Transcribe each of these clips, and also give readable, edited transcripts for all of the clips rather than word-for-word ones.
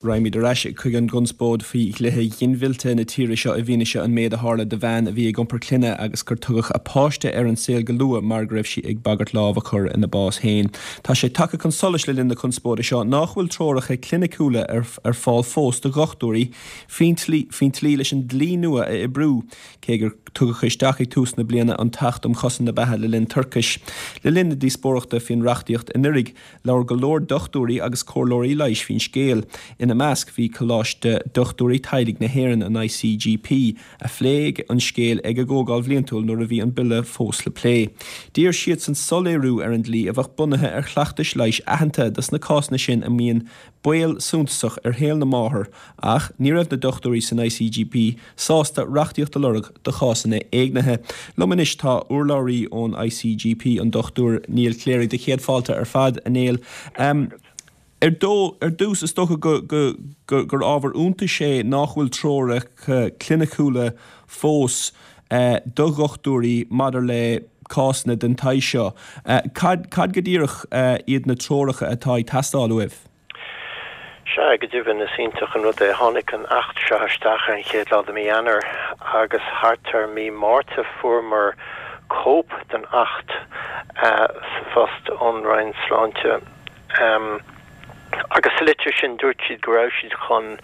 Raghaimid ar ais chuig an gconspóid faoi dhlíthe ghinmhillte na tíre seo i bhfianaise an méid a tharla do bhean a bhí ag iompar clainne agus gur tugadh a páiste ar an saol go luath mar go raibh sí ag bagairt lámh a chur ina bás féin. Tá sé tagtha chun solais le linn na conspóide seo nách bhfuil treoracha cliniciúla ar fáil fós do dhochtúirí faoin tslí leis an dlí nua a oibriú, cé gur tugadh isteach ag tús na bliana an tAcht um Chosaint na Beatha le linn Toirchis. Le linn na díospóireachta faoin reachtaíocht anuraidh, Labhair go leor dochtúirí agus comhairleoirí leighis faoin scéal. Ina measc bhí Coláiste Dochtúirí Teaghlaigh na hÉireann, an ICGP, a phléigh an scéal ag a gcomhdháil bhliantúil nuair a bhí an bille fós le plé. D'iarr siadsan soiléiriú ar an dlí a bheadh bunaithe ar chleachtais leighis aitheanta dos na cásanna sin a mbíonn baol suntasach ar shaol na máthar ach ní raibh na dochtúirí san ICGP sásta reachtaíocht a lorg do chásanna éignithe. Liom anois tá urlabhraí ón ICGP, an Dr Niall Cléirigh. Do chéad fáilte ar fad, a Néill. Ar dtús, is dócha gur ábhar iontais é nách bhfuil treoracha cliniciúla fós do dhochtúirí maidir le cásanna den tsaghas seo. Cad go díreach iad na treoracha atá ag teastáil uaibh? Sea, go deimhin, is iontach an rud é. Tháinig an Acht seo isteach ar an chéad lá de mí Eanáir agus thart ar mí Márta fuaireamar cóip den Acht sa phost ón Roinn Sláinte. Agus sa litir sin dúirt siad go raibh siad chun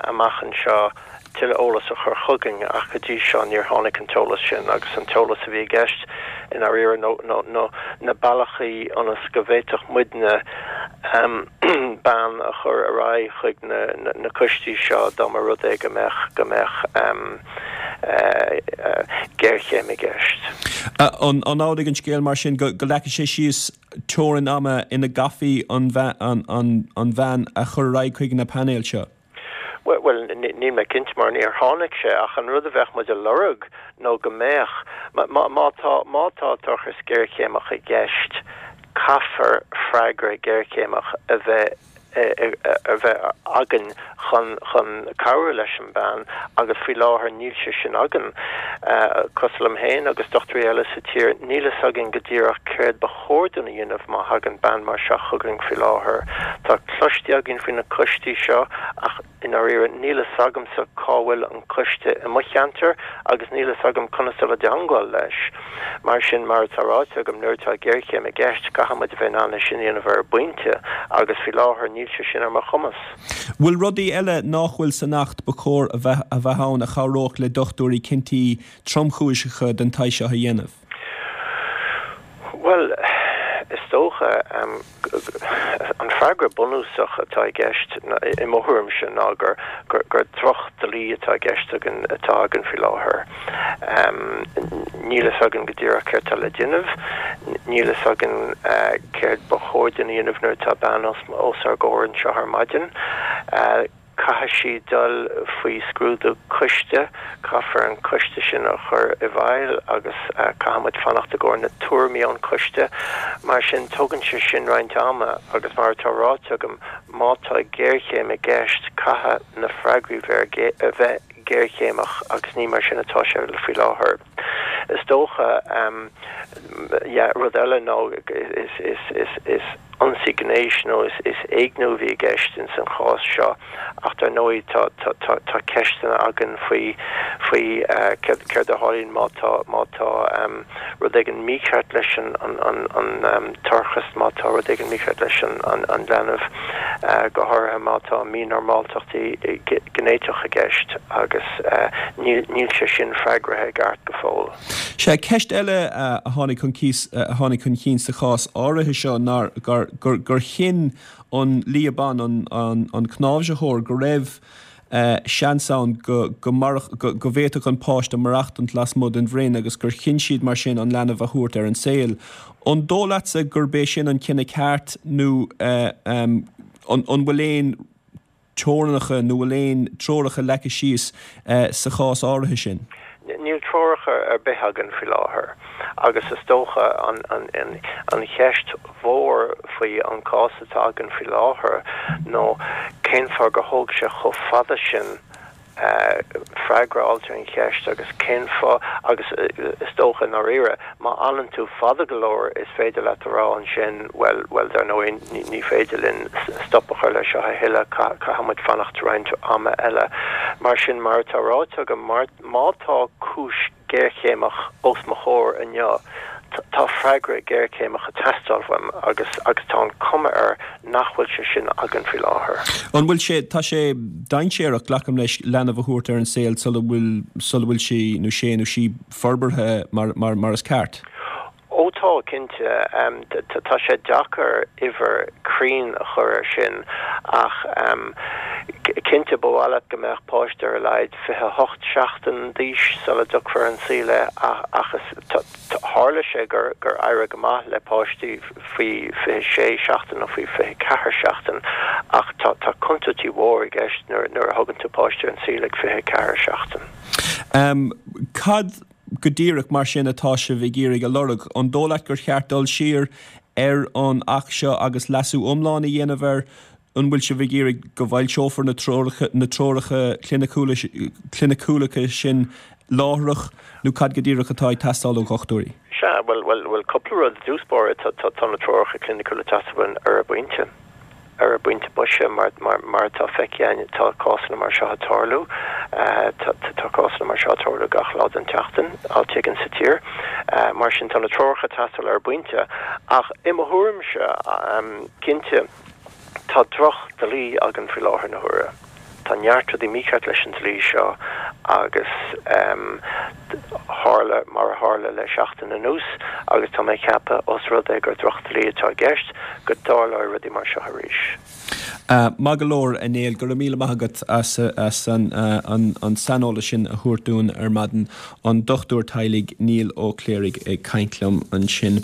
amach anseo tuilleadh eolas a chur chugainn ach go dtí seo níor tháinig an t-eolas sin agus an t-eolas a bhí i gceist i ndáiríre nó na bealachaí ionas go bhféadfadh muidne bean a chur ar aghaidh chuig na coistí seo dá mba rud é go mbeadh go mbeadh géarchéim i gceist. An amhlaidh an scéal mar sin go leagfaidh sé síos teorainn ama ina gcaithfí an bhean a chur ar aghaidh chuig na painéil seo? Bhuel, níl mé cinnte mar níor tháinig sé ach an rud a bheadh muid a lorg nó go mbeadh, má tá, má tá toircheas géarchéimeach i gceist, caithfear freagra géarchéimeach a bheith, a bheith againn chun, chun cabhrú leis an bean agus faoi láthair níl sé sin againn. Cosúil liom féin agus dochtúirí eile sa tír, níl fhios againn go díreach céard ba chóir dúinn a dhéanamh má thagann bean mar seo chugainn faoi láthair. Tá cloiste againn faoi na coistí seo ach i ndáiríre níl fhios agamsa cá bhfuil an coiste i mo cheantar agus níl fhios agam conas dul i dteangmháil leis. Mar sin, mar atá ráite agam, nuair atá géarchéim i gceist caithfidh muid a bheith in ann é sin a dhéanamh ar an bpointe agus faoi láthair níl sé sin ar mo chumas. Bhfuil rudaí eile nách bhfuil san Acht ba chóir a bheith ann a chabhródh le dochtúirí cinntí tromchúiseacha den tsaghas seo a dhéanamh? Bhuel, is dócha, an freagra bunúsach atá i gceist, i mo thuairimse, ná gur droch-dhlí atá i gceist againn, atá againn faoi láthair. Níl fhios againn go díreach céard atá le déanamh, níl fhios againn céard ba chóir dúinn a dhéanamh nuair atá bean os ár gcomhair anseo ar maidin. Caithfidh sí dul faoi scrúdú coiste, caithfear an coiste sin a chur i bhfeighil agus caithfidh muid fanacht i gcomhair na tuairimí ón choiste. Mar sin, tógann sé sin roinnt ama agus mar atá ráite agam, má tá géarchéim i gceist, caithfidh na freagraí bheith géarchéimeach agus ní mar sin atá sé faoi láthair. Is dócha, yeah, rud eile ná is ionsaí gnéis nó is éigniú a bhí i gceist ins an chás seo ach dar ndóigh tá tá tá ceisteanna againn faoi faoi céard céard a tharlaíonn má tá má tá rud éigin mícheart leis an an an an toircheas, má tá rud éigin mícheart leis an an an leanbh, go háirithe má tá mínormáltachtaí ginéiteach i gceist agus níl níl sé sin freagraithe i gceart go fóill. Sea, ceist eile a tháinig chun a tháinig chun cinn sa chás áirithe seo ná gur gur chinn an lia ban, an an cnáimhsitheoir, go raibh seans ann go go go go bhféadfadh an páiste maireachtaint lasmuigh den bhroinn agus gur chinn siad mar sin an leanbh a thabhairt ar an saol. An dóigh leatsa gurb é sin an cinneadh ceart nó an an bhfuil aon teorainneacha nó bhfuil aon treoracha leagtha síos sa chás áirithe sin? Níl treoracha ar bith againn faoi láthair agus is dócha an cheist mhór faoi an cás atá againn faoi láthair nó cén fáth gur thóg sé chomh fada sin. Freagra a fháilt ar an cheist agus cén fáth agus is dócha i ndáiríre má fhanann tú fada go leor is féidir leat a rá ansin bhuel, bhuel dar ndóigh ní féidir linn stop a chur leis seo a thuilleadh, caithfidh muid fanacht roinnt ama eile. Mar sin mar atá ráite agam, má tá cúis géarchéimeach os mo chomhair inniu. Tá freagra géarchéimeach ag teastáil uaim agus agus tá an cuma air nach bhfuil sé sin againn faoi láthair. An bhfuil sé, tá sé dainséarach, glacaim leis, leanbh a thabhairt ar an saol sula bhfuil, sula bhfuil sé nó sé nó sí forbartha mar, mar, mar is ceart? Ó tá, cinnte. Tá sé deacair uimhir cruinn a chur air sin ach cinnte ba mhaith leat go mbeadh páiste ar a laghad 28 seachtain d'aois sula dtiocfar ar an saol é ach is tharla sé gur gur éirigh go maith le páistí faoi 26 seachtain nó faoi 24 seachtain ach tá tá contúirtí mhór i gceist nuair nuair a thugann tú páiste ar an saol ag 24 seachtain. Cad go díreach mar sin atá sibh ag iarraidh a lorg? An dóigh leat gur cheart dul siar ar an Acht seo agus leasú iomlán a dhéanamh air? An bhfuil sibh ag iarraidh go bhfoilseofar na treoracha na treoracha cliniciúla cliniciúla sin láithreach nó cad go díreach atá ag teastáil ó dhochtúirí? Sea, bhuel, bhuel, bhuel, cúpla rud i dtús báire, tá, tá, tá na treoracha cliniciúla ag teastáil uainn ar an bpointe. Ar an bpointe boise, mar atá feicthe againn, tá cásanna mar seo ag tarlú. Tá cásanna mar seo ag tarlú gach lá den tseachtain, áit éigin sa tír. Mar sin, tá na treoracha ag teastáil ar an bpointe. Ach i mo thuairimse, cinnte, tá droch-dhlí againn faoi láthair na huaire. Tá neart rudaí mícheart leis an dlí seo agus tharla mar a tharla le seachtain anuas agus tá mé ag ceapadh, os rud é gur drochdhlí atá i gceist, go dtarlóidh rudaí mar seo arís. Maith go leor, a Néill, go raibh míle maith agat as an saineolas sin a thabhairt dúinn ar maidin. An dochtúir teaghlaigh Niall Ó Cléirigh ag caint liom ansin.